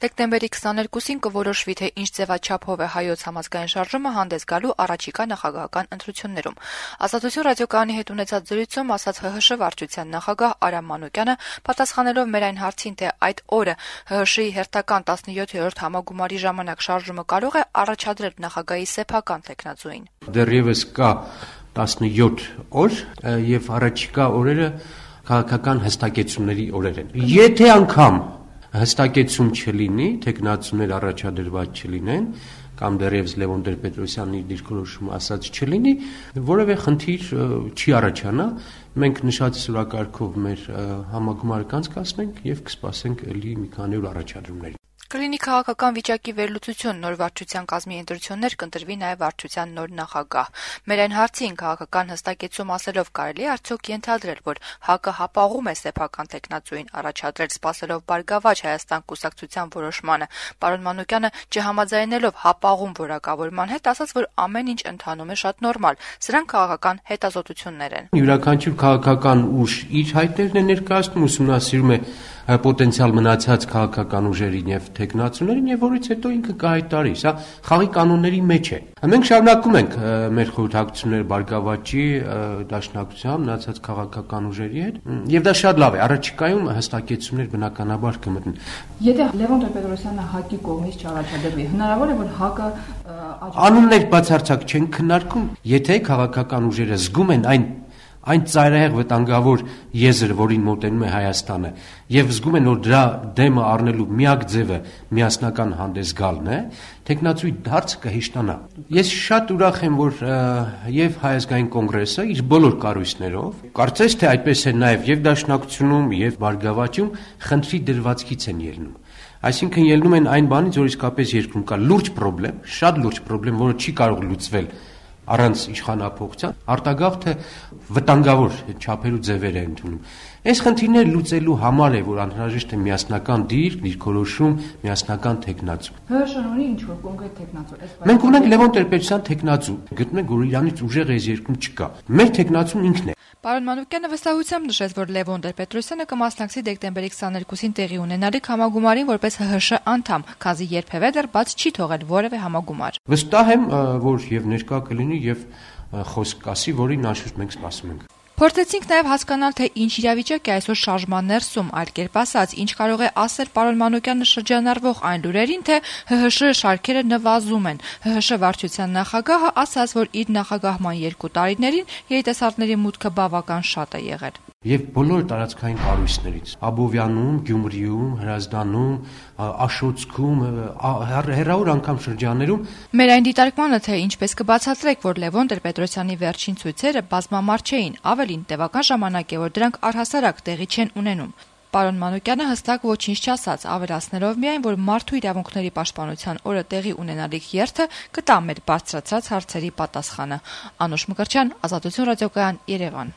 Դեկտեմբերի 22-ին կորոշվի, թե ինչ ձևաչափով է հայոց համազգային շարժումը հանդես գալու առաջիկա նախագահական ընտրություններում։ Ազատություն ռադիոկայանի հետ ունեցած զրույցում ասաց ՀՀՇ վարչության նախագահ Արամ Մանուկյանը, պատասխանելով մեր այն հարցին, թե այդ օրը ՀՀՇ-ի հերթական 17-րդ համագումարի ժամանակ շարժումը կարող է առաջադրել նախագահի սեփական թեկնածուին։ Դեռևս կա 17 օր եւ առաջիկա օրերը քաղաքական հստակեցումների օրեր են։ Եթե անգամ հստակեցում չլինի, թեկնածուներ առաջադրված չլինեն, կամ դեռևս Լևոն Տեր-Պետրոսյանի դիրքորոշումը ասած չլինի, որևէ խնդիր չի առաջանա, մենք նշած սուրակարգով մեր համագումարը կանցկացնենք եւ կսպասենք ելի մի քանի օր առաջադրումների։ Կլինի քաղաքական վիճակի վերլուծություն, նոր վարչության կազմի ընտրություններ, կընտրվի նաև վարչության նոր նախագահ։ Մեր այն հարցին քաղաքական հստակեցում ասելով կարելի է արդյոք ենթադրել, որ ՀԱԿ-ը հապաղում է սեփական թեկնածուին առաջադրել, սպասելով Բարգավաճ Հայաստան կուսակցության որոշմանը։ Պարոն Մանուկյանը, չհամաձայնելով հապաղում որակավորման հետ, ասաց, որ ամեն ինչ ընթանում է շատ նորմալ։ Սրանք քաղաքական հետազոտություններ են։ Յուրաքանչյուր քաղաքական ուժ իր հայտներն է ներկայացնում, ուսումնասիրում է պոտենցիալ մնացած քաղաքական ուժերին եւ թեկնածուներին եւ որից հետո ինքը կհայտարարի, սա խաղի կանոնների մեջ է։ Մենք շարունակում ենք մեր խորհրդակցությունները Բարգավաճի դաշնակցությամբ մնացած քաղաքական ուժերի հետ եւ դա շատ լավ է, առաջիկայում հստակեցումներ բնականաբար կմտնեն։ Եթե Լևոն Տեր-Պետրոսյանը ՀԱԿ-ի կողմից չառաջադրվի, հնարավոր է որ ՀԱԿ-ը անուններ բացարձակ չեն քննարկում, եթե քաղաքական ուժերը զգում են այն ծայրահեղ վտանգավոր եզր, որին մոտենում է Հայաստանը, եւ զգում են, որ դրա դեմը առնելու միակ ձևը միասնական հանդես գալն է, թեկնածուի հարցը կհեշտանա։ Ես շատ ուրախ եմ, որ եւ Հայ ազգային կոնգրեսը իր բոլոր կառույցներով, կարծես թե այդպես է նաեւ եւ Դաշնակցությունում եւ Բարգավաճում խնդրի դրվածքից են ելնում։ Այսինքն ելնում են այն բանից, որ իսկապես երկրում կա լուրջ պրոբլեմ, շատ լուրջ պրոբլեմ, որը չի կարող լուծվել առանց իշխանափոխության, արտագաղթը վտանգավոր չափերու ձևեր է ընդունում։ Այս խնդիրները լուծելու համար է, որ անհրաժեշտ է միասնական դիրքորոշում, միասնական թեկնածու։ ՀՀՇ-ն ունի ինչ-որ կոնկրետ թեկնածու։ Մենք ունենք Լևոն Տեր-Պետրոսյան թեկնածու, գտնում ենք, որ իրանից ուժեղ այս երկրում չկա։ Մեր թեկնածուն ինքն է։ Պարոն Մանուկյանը վստահությամբ նշեց, որ Լևոն Տեր-Պետրոսյանը կմասնակցի դեկտեմբերի 22-ին տեղի ունենալիք համագումարին որպես ՀՀՇ անդամ, քանզի երբևէ դեռ բաց չի թողել որևէ համագումար։ Վստահ եմ, որ եւ ներկա կլինի եւ խոսք ասի, որին անշուշտ մենք սպասում ենք։ Փորձեցինք նաև հասկանալ, թե ինչ իրավիճակ է այսօր շարժման ներսում, այլ կերպ ասած, ինչ կարող է ասել պարոն Մանուկյանը շրջանառվող այն լուրերին, թե ՀՀՇ շարքերը նվազում են։ ՀՀՇ վարչության նախագահը ասաց, որ իր նախագահման 2 տարիներին երիտասարդների մուտքը բավական շատ է եղել։ Եվ բոլոր տարածքային կառույցներից Աբովյանում, Գյումրիում, Հրազդանում, Աշոցքում, հեռավոր անգամ շրջաններում մեր այն դիտարկմանը, թե ինչպես կբացատրեք, որ Լևոն Տեր-Պետրոսյանի վերջին ցույցերը բազմամարդ չէին, ավելին տևական ժամանակ է, որ դրանք առհասարակ տեղի չեն ունենում։ Պարոն Մանուկյանը հստակ ոչինչ չասաց, ավելացնելով միայն, որ մարդու իրավունքների պաշտպանության օրը տեղի ունենալիք երթը կտա մեր բարձրացած հարցերի պատասխանը։ Անուշ Մկրտչյան, Ազատություն ռադիոկայան, Երևան։